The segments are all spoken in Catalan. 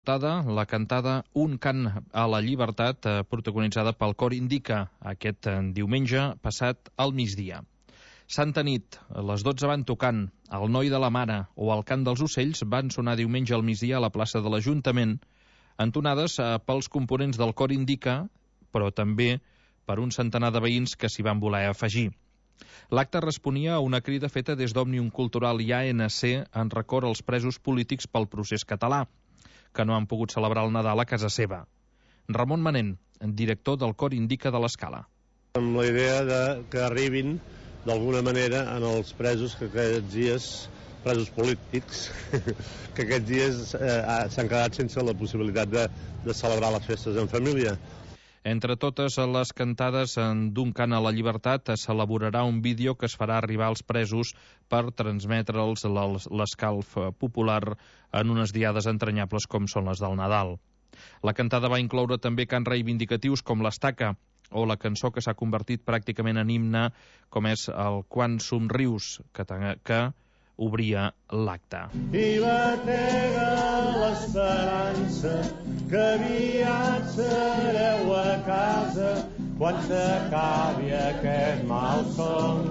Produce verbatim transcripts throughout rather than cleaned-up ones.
La cantada Un cant a la llibertat, eh, protagonitzada pel Cor Indica, aquest eh, diumenge passat al migdia. Santa nit, les dotze van tocant, El noi de la mare o El cant dels ocells van sonar diumenge al migdia a la plaça de l'Ajuntament, entonades eh, pels components del Cor Indica, però també per un centenar de veïns que s'hi van voler afegir. L'acte responia a una crida feta des d'Òmnium Cultural i A N C en record als presos polítics pel procés català, que no han pogut celebrar el Nadal a casa seva. Ramon Manent, director del Cor Indica de l'Escala. Amb la idea de que arribin d'alguna manera en els presos que aquests dies, presos polítics, que aquests dies eh, s'han quedat sense la possibilitat de, de celebrar les festes en família. Entre totes les cantades d'Un cant a la llibertat s'elaborarà un vídeo que es farà arribar als presos per transmetre'ls l'escalf popular en unes diades entranyables com són les del Nadal. La cantada va incloure també cants reivindicatius com l'Estaca o la cançó que s'ha convertit pràcticament en himne com és el Quan somrius, que, que obria l'acte. I batega l'esperança que aviat sereu a casa quan s'acabi aquest malson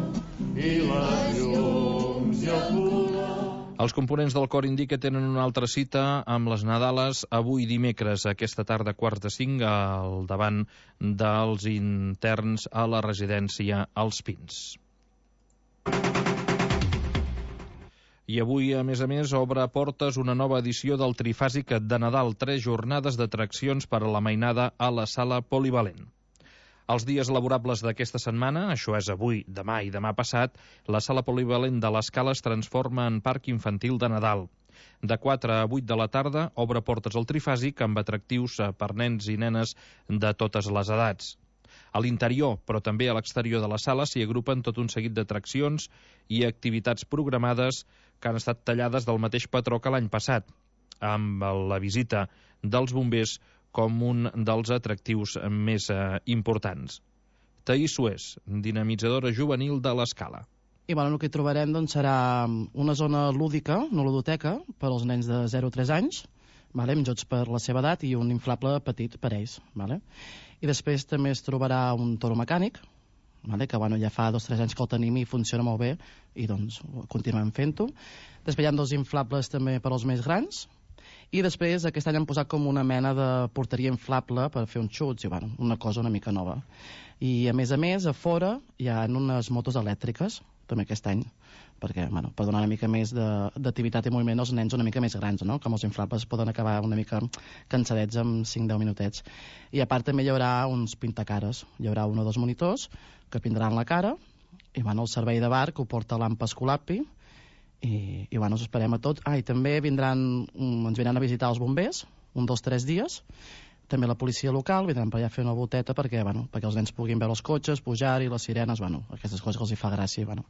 i les llums i el color. Els components del Cor Indica tenen una altra cita amb les Nadales avui dimecres, aquesta tarda quarts de cinc, al davant dels interns a la residència Els Pins. I avui, a més a més, obre portes una nova edició del Trifàsic de Nadal, tres jornades d'atraccions per a la mainada a la sala polivalent. Els dies laborables d'aquesta setmana, això és avui, demà i demà passat, la sala polivalent de l'Escala es transforma en parc infantil de Nadal. De quatre a vuit de la tarda obre portes al Trifàsic amb atractius per nens i nenes de totes les edats. A l'interior, però també a l'exterior de la sala, s'hi agrupen tot un seguit d'atraccions i activitats programades que han estat tallades del mateix patró que l'any passat, amb la visita dels bombers com un dels atractius més eh, importants. Taís Suez, dinamitzadora juvenil de l'Escala. I bueno, el que trobarem doncs, serà una zona lúdica, una ludoteca, per als nens de zero a tres anys, vale, amb jocs per la seva edat i un inflable petit per ells. Vale? I després també es trobarà un toro mecànic, vale, que bueno, ja fa dos o tres anys que el tenim i funciona molt bé i doncs continuem fent-ho. Després hi ha dos inflables també per als més grans i després aquest any han posat com una mena de porteria inflable per fer uns xuts i bueno, una cosa una mica nova. I a més a més a fora hi ha unes motos elèctriques també aquest any, perquè, bueno, per donar una mica més d'activitat i moviment als nens una mica més grans, no? Com els inflables poden acabar una mica cansadets en cinc a deu minutets. I a part també hi haurà uns pintacares, hi haurà un o dos monitors que pintaran la cara, i bueno, el servei de bar que ho porta l'Ampa Escolapi, i, i bueno, us esperem a tots. Ah, i també vindran, ens vindran a visitar els bombers, un, dos, tres dies, també la policia local, vindran per allà a fer una volteta perquè, bueno, perquè els nens puguin veure els cotxes, pujar-hi, les sirenes, bueno, aquestes coses que els hi fa gràcia. Bueno.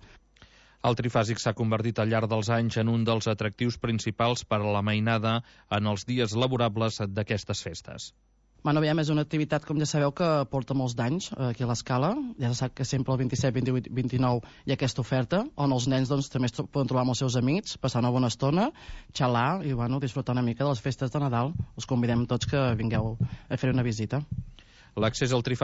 El Trifàsic s'ha convertit al llarg dels anys en un dels atractius principals per a la mainada en els dies laborables d'aquestes festes. Bueno, aviam, és una activitat, com ja sabeu, que porta molts d'anys aquí a l'Escala. Ja se sap que sempre el vint-i-set, vint-i-vuit, vint-i-nou hi ha aquesta oferta, on els nens doncs, també es poden trobar amb els seus amics, passar una bona estona, xalar i bueno, disfrutar una mica de les festes de Nadal. Us convidem tots que vingueu a fer una visita. L'accés al Trifàsic